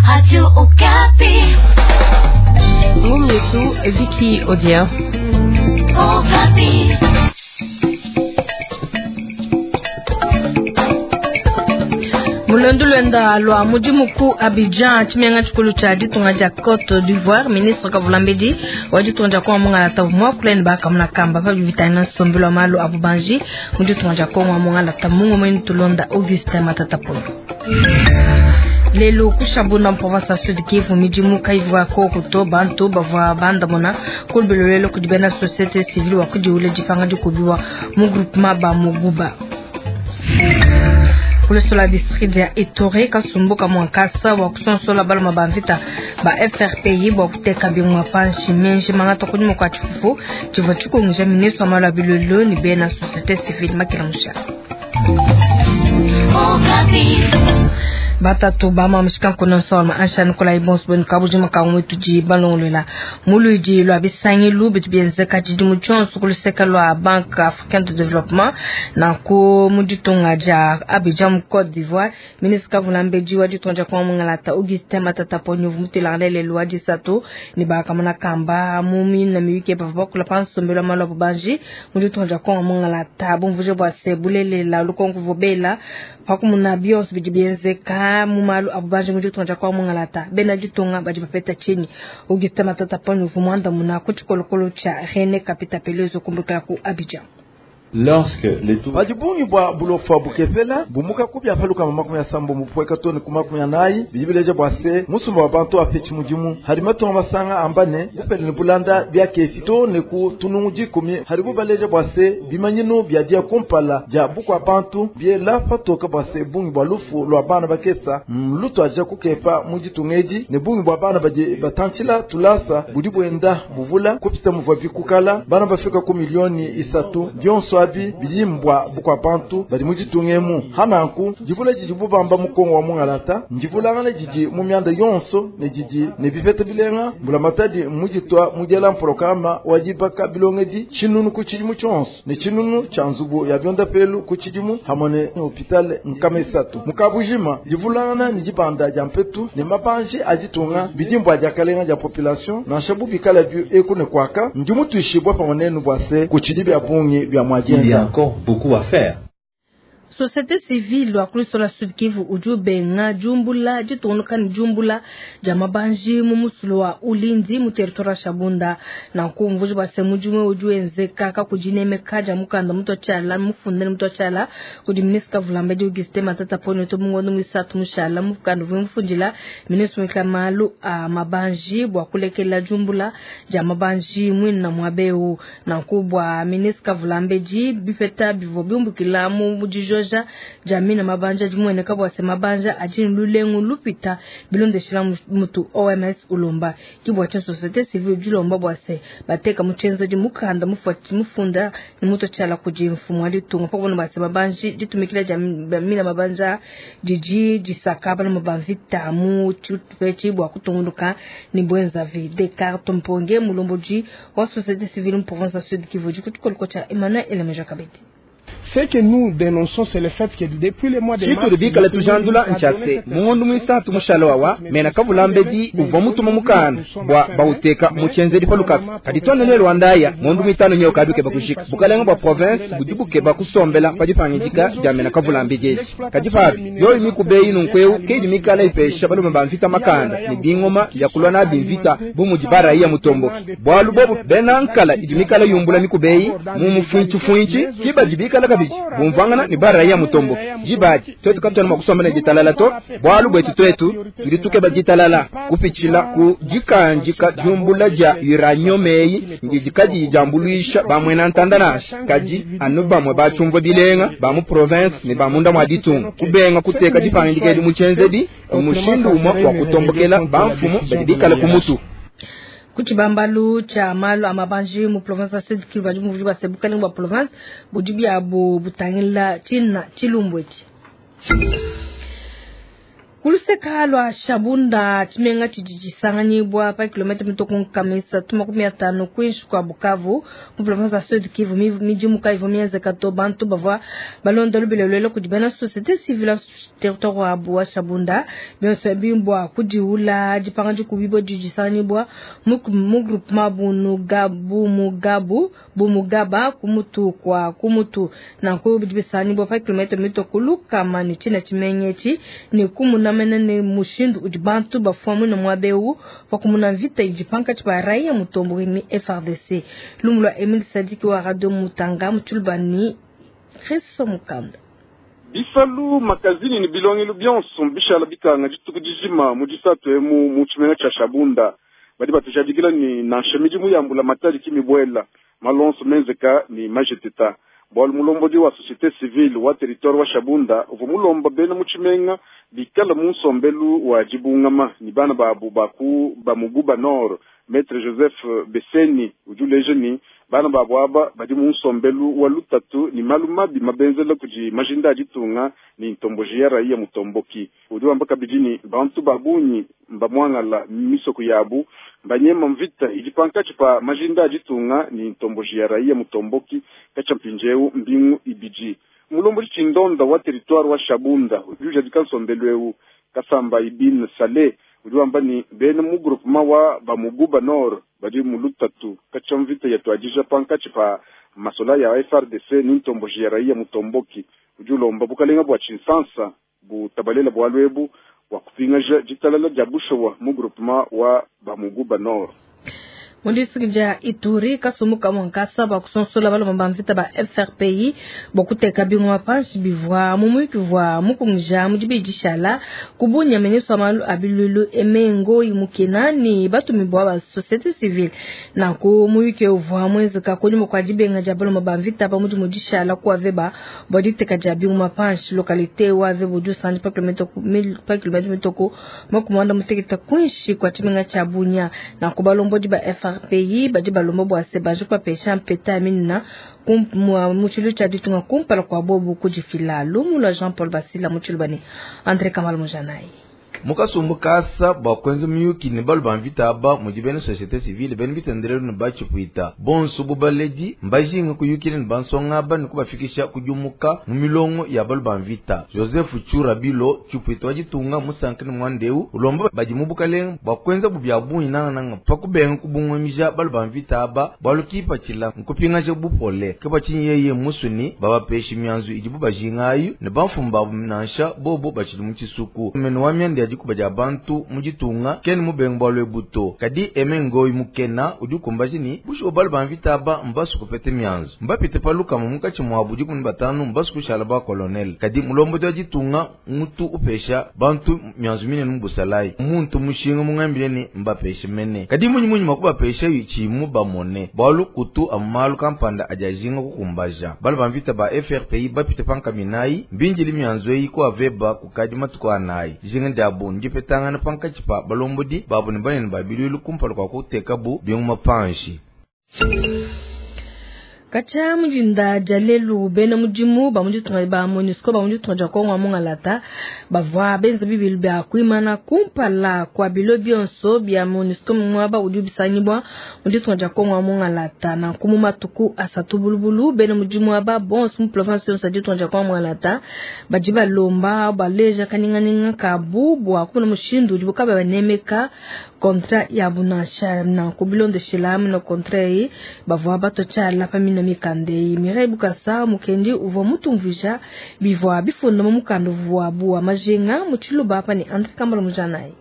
Radio Okapi. Ngumu yetu Vicky Odia. Okapi. Mulondu lwenda lwa mudimu ku Abidjan tshimenga tshikulu tshia ditunga dia Cote d'Ivoire, ministre Kavulambedi wa ditunga dia Kongo mungalata muakula ne bakamuna kamba pa bivitana nsombelu wa malu a bubanji mu ditunga dia Kongo mungalata mungu mwenu tulonda Augustin Matata Ponyo. Lelu ku Shabunda mu province ya Sud Kivu midimu kayivua koku to bantu bavua bandamuna ku lubelo kudi bena société civile wa kudiwula dipanga dikubiwa mu groupement ba Muguba. Kulesola district ya Ituri kasumbuka mwankasa wa kusonsola baloma ba mvita ba FRPI bwa kuteka bingwa panshi menji mangata kunyuma kwa tshifufu tshivua tshikunguja ministre wa malu a bilolo ni bena société civile makila musha. Okapi. Batatu bama mushikanku nsoma ansha Nikolai Bonsbon kabujima kamwe tudi balongolola muludi lwa bisangilu bitu bienzeka tshidimu tshionso ku luseke lwa Banque Africaine de Développement nanku mu ditunga dia Abidjan mu Côte d'Ivoire. Ministre Kavulambedi wa ditunga dia Kongo mungalata Augustin Matata Ponyo mutelangana lelu wa disatu ne bakamona kamba mu mina miyuki bavua bakula pa nsombelu wa malu a bubanji mu ditunga dia Kongo mungalata bumvuje bua se bulelela lukonko vobela pakumuna bionso bidi bienzeka mu malu a bubanji mu ditunga dia Kongo mungalata bena ditunga badi bapeta tshinyi. Augustin Matata Ponyo uvua muandamuna ku tshikolokolo tshia René Kapita Pelezo kumbukila ku Abidjan. Lorsque les taux padi bungi bua bulofa bukepela bumuka ku bia palukama 70 bupueka to ne ku 40 bidi bileja bua se musumba wa bantu apetshi mudimu hadi matunga masanga amba ne bupele ne bulanda bia kesi to ne ku tunungu 10 hadi bubaleja bua se bimanyinu bia dia kumpala dia bukua bantu biela patoka bua se bungi bua lufu lua bana bakesa lutuadija kukepa mu ditunga edi ne bungi bua bana badi batantshila tulasa budi buenda buvula kupita muvua bikukala bana bafika ku 3 milioni bionso abi bidi mbwa bukua bantu badi mu ditunga emu. Hananku divula didi bubamba mu Kongo wa mungalata ndivulangana didi mu mianda yonso ne didi ne bipeta bilenga mbulamatadi muditua mudiela mprograma wa dibaka bilongedi tshinunu ku tshidimu tshionso ne tshinunu tshia nzubu ya biondapelu ku tshidimu hamwe ne hôpital 300 mukabujima. Divulangana ne dibanda dia mpetu ne mabanji a ditunga bidi mbwa diakalenga dia population nansha bubikala bi eku ne kwaka ndi mutuishibwa pamwe nenu bua se ku tshidi bia bungi bia Il y a encore beaucoup à faire. Société civile wa kulisola Sud Kivu udi ubenga diumbula ditungunuka ne diumbula dia mabanji mu musulu wa Ulindi mu territoire wa Shabunda. Nanku mvuji bua se mudimu udi wenzeka kakudinemeka dia mukanda mutua tshiala mufunda ne mutua tshiala kudi ministre Kavulambedi Augustin Matata Ponyo to mungondo muisatu mushala mukanda uvua mufundila ministre muikala malu a mabanji bua kulekela diumbula dia mabanji muina muabeu. Nanku bua ministre Kavulambedi bipeta bivua biumbukila mu dijoja jamina mabanja dimueneka bua se mabanja adi lulengu lupita bilondeshela mutu OMS ulomba kibwa cha société civile dilomba bua se bateka mutshenza di mukanda mufuati mufunda ni muto tshala kudi mfumu wa ditunga pakubona bua se mabanji ditumikila jamina mabanja didi disaka bana mabamvita mu tshitupechi bua kutungunuka ni bwenzavi. Descartes Mponge mulomboji wa société civile mu province ya Sud Kivu dikutukoloko tsha Emmanuel Elemeja Kabedi. Ce que nous dénonçons, c'est le fait que depuis le mois de mars, tshitudi bikala tujandula ntshase mungondo muisatu mushala wawa mena kavulambedi uvua mutuma mukanda bua bauteka mutshenzedi pa lukasa kadi tonene lwandaya ngondo muitanu nyeo kabi keba kushika bukalenga bua province budi bukeba kusombela pa dipangidika dia mena kavulambedi edi kadi pabi yoyi mikubeyi nunkueu ke idi mikala ipesha balume ba mvita makanda ne bingoma bia kulwa nabi mvita bu mudi baraiya mutomboki bualu bobu bena nkala idi mikala yumbula mikubeyi mu mufuintshifintshi ki badi bikala kabidi bumvangana ne baraiya mutomboki dibadi twetu katwena mua kusomba ne ditalala to bualu bwetu twetu tudi tukeba ditalala kupitshila ku dikandika diumbula dia uranium eyi ndidi kadiyi diambuluisha bamwena ntanda nansha kadi anu bamwe batshiumvua bilenga ba mu province ne ba munda mua ditunga kubenga kuteka dipangidika edi mu tshienzedi mushindu umue wa kutombokela bamfumu badi bikale ku mutu. Ku tshibambalu tshia malu a mabanji mu province ya Sud Kivu badi muvudi bua se bukalenga bua province budi biabu butangila tshina tshilumbu etshi. Ku luseka lua Shabunda, tshimenga tshidi tshisanganyibua pa kilomètre mitue ku 350 kuinshi kua Bukavu mu province ya Sud Kivu, midimu kayivua mienzeka to. Bantu bavua balonda lubila luela kudi bena société civile territoire wabu wa Shabunda, bionso ebi bua kudiula dipanga dikubibua didi disanganyibua mu groupement Bunugabu Bumugaba kumutu kwa kumutu. Nanku bidi bisanganyibua pa kilomètre mitue ku 100 ne tshina tshimenga etshi ne kumuna mene ne mushindu udi bantu bafua muine muaba eu pakumuna mvita idi pankatshi pa raia mutomboki ni FARDC. Lumu lua Emile Sadiki wa Radio Mutanga mu tshiluba ni Kristo Mukanda. Bisalu, makazini ni bilongelo bionso bishala bikanga dituku dijima mu disatu emu mu tshimenga tshia Shabunda. Badi batujadikila ni nansha midimu ya mbula matadi kimibwela malonso menzeka ni majeteta bwalu mulombodi wa société civile wa territoire wa Shabunda uvua mulomba bena mu tshimenga bikala mu nsombelu wa dibungama ni bana babu baku bamuguba nord. Maître Joseph Beseni udi uleja ni bana babu aba badi mu nsombelu wa lutatu ni malu mabi mabenzela kudi majinda a ditunga ni ntomboji ya raia mutomboki. Udi wamba kabidi ni bantu ba bungi mbamwangala misoko yabu mbanyema mvita idi pankatshi pa majinda a ditunga ni ntomboji ya raia mutomboki katshia mpindieu mbingu ibidi. Mulombodi tshindonda wa territoire wa Shabunda udi ujadika nsombelu eu Kasamba Ibn Saleh udi wamba ni bena mu groupement wa bamuguba nord badi mu lutatu katshia mvita yatuadija pankatshi pa masola ya FARDC ni ntomboji ya raia mutomboki. Udi ulomba bukalenga bua tshinsansa butabalela bwalu ebu bua kupingaja ditalala dia bushowa mu groupement wa bamuguba nord. Mu district dia Ituri, kasumbu kamue nkasa bua kusonsola balomba ba mvita ba FRPI bua kuteka bingoma panshi bivua mu muyuki uvua mukungija mu dibidi dishala ku Bunia. Ministre wa malu a biluilu Aimé Ngoy Mukena ni batumibua ba société civile. Nanku muyuki uvua muenzeka kunyima kua dibenga dia balomba ba mvita pa mudimu dishala ku Aveba bua diteka dia bingoma panshi. Localité wa Aveba udi usanganyibua pa kilomètre mitue ku 46 kuinshi kua tshimenga tshia Bunia. Nanku balombodi ba FRPI badi balomba bua se baje kubapesha mpeta ya minina mu tshilu tshia ditunga kumpala kua bobu kudifila. Lumu lua Jean Paul Basila mu tshiluba ni André Kamal Mujanayi. Mukasumbu kasa bua kuenza miyuki ne balu ba mvita aba mudi bena société civile, bena bitendelelu ne batshipuita bonso bu baledi mbajinga kuyukila ne bansonga aba ne kubafikisha kudiumuka mu milongo ya balu ba mvita. Joseph Churabilo, tshipuita wa ditunga, musanka ne muanda eu, ulomba badi mu bukalenga bua kuenza bu bia bungi nangananga pa kubenga kubungumija balu ba mvita aba bualu kipatshila nkupingaja bupole. Ke bua tshinyi yeye musuni babapeshi mianzu idibu bajinga ayu ne bamfumu babu nansha bobo batshidi mu tshisuku. Mene wa mianda ya dikuba dia bantu mu ditunga kene mubenga bualu ebu to. Kadi Aimé Ngoy Mukena udi ukumbaja ni bushuwa balu ba mvita aba mbasu kupete mianzu, mbapite pa 100 munkatshi muabu 15 mbasu kushala ba colonel. Kadi mulombodi wa ditunga mutu upesha bantu mianzu minene mu busalayi muntu mushinga mungambile ni mbapeshe mene. Kadi munyi munyi makubapesha tshimu bamone bualu kutu amalu kampanda adi ajinga kukumbaja. Balu ba mvita ba FRPI bapite pa nkaminayi mbinjili mianzu eyi ku Aveba kukadi matuku anayi. Dijinga diabu ndipetangana pankatshi pa balombodi babu ne banene ba biluilu kumpala kua kutekabu bingoma panshi. Katshia mudinda dia lelu, bena mudimu ba mu ditunga ba MONUSCO ba mu ditunga dia Kongo wa Mungalata bavua benza bibilu bia kuimana kumpala kua bilo bionso bia MONUSCO muaba udi bisangibua mu ditunga dia Kongo wa Mungalata. Nanku mu matuku asatu bulubulu, bena mudimu aba bonso mu province yonso ya ditunga dia Kongo wa Mungalata badi balomba baleja kanyinganyinga kabu bua kumona mushindu udibu kaba banemeka contrat yabu nansha. Nanku bilondeshela mena contrat eyi bavua batua tshiala pa mina mikanda eyi. Mireille Bukasa Mukendi uvua mutumvuija bivua bifunda mu mukanda uvuabu wa majinga mu tshiluba apa ne André Kambala Mujanayi.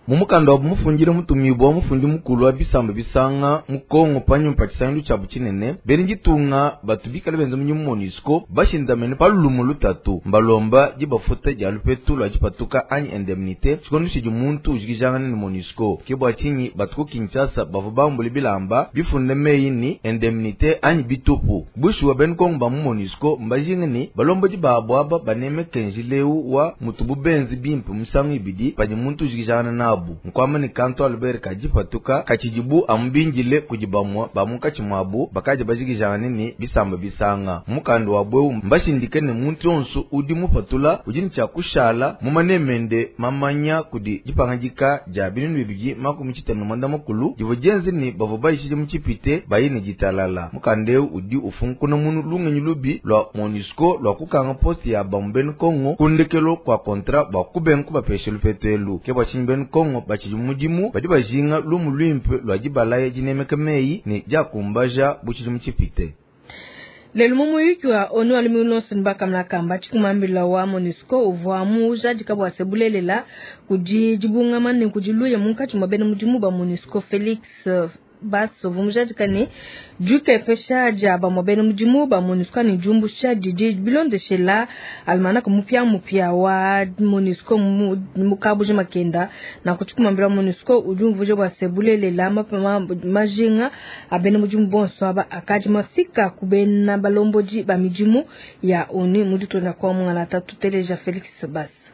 Mu mukanda wa mufundile mutumibua mufundi mukulu wa bisamba bisanga mu Kongo panyima pa tshisangilu tshiabu tshinene, bena ditunga batu bikale benza mudimu MONUSCO bashindamene pa lumu lutatu mbalomba dibafuta dia lupetu lua dipatuka anyi indemnité tshikondo tshidi muntu ujikijangana ne MONUSCO. Ke bua tshinyi batu ku Kinshasa bavua bambule bilamba bifunde meyi ni indemnité anyi bitupu. Bushuwa bena Kongo ba mu MONUSCO mbajinga ni balombodi babu aba banemeke njila eu wa mutubu benzi bimpe misangu ibidi padi muntu ujikijangana nabu. abu. Nkuamba ne kantu Albert kadipatuka katshidibu amu bindile kudi bamue ba munkatshi muabu bakadi bajikijangane ne bisamba bisanga. Mukanda wabu eu mbashindike ne muntu yonso udi mupatula udi ne tshia kushala mu maneme ende mamanya kudi dipangadika dia 2064 divua dienze ne bavua bayishije mu tshipite baye ne ditalala. Mukanda eu udi ufunkuna munu lungenyi lubi lua MONUSCO lua kukanga poste ya bamue bena Kongo ku ndekelu kua contrat bua kubenga kubapesha lupetu elu. Ke bua tshinyi bena Kongo batshidi mu mudimu badi bajinga lumu luimpe lua dibalaya dinemeka meyi ne diakumbaja bu tshidimu tshipite. Lelu mu muyuki wa ONU wa lumingu luonso ne bakamona kamba tshikumambila wa MONUSCO uvua mujadika bua se bulelela kudi dibungama ne kudi luya munkatshi mua bena mudimu ba MONUSCO. Felix Bass uvua mujadika ne dikepesha dia bamue bena mudimu ba MONUSCO ne diumbusha didi bilondeshela almanaka mupiamupia wa MONUSCO mu kabuji makenda. Nanku tshikumambila wa MONUSCO udi umvuija bua se bulelela majinga a bena mudimu bonso aba akadi mafika ku bena balombodi ba midimu ya ONU mu ditunga kwa mungalata. Tuteleja Felix Bass.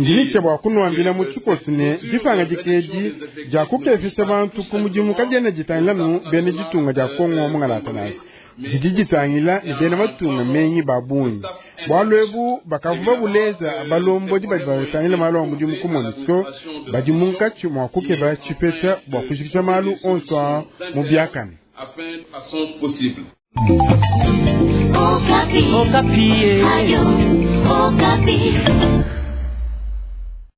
Ndi ne tshia bua kunuambila mu tshikoso ne dipangadika edi dia kukepesha bantu ku mudimu kadiena ditangila nu bena ditunga dia Kongo mungalata nansha, didi ditangila ne bena matunga menyi ba bungi. Bualu ebu bakavua babuleja balombodi badi batangila malu a mudimu ku MONUSCO badi munkatshi mua kukeba tshipeta bua kujikija malu onso aa mu biakane. Okapi. Okapi. Ayo, Okapi.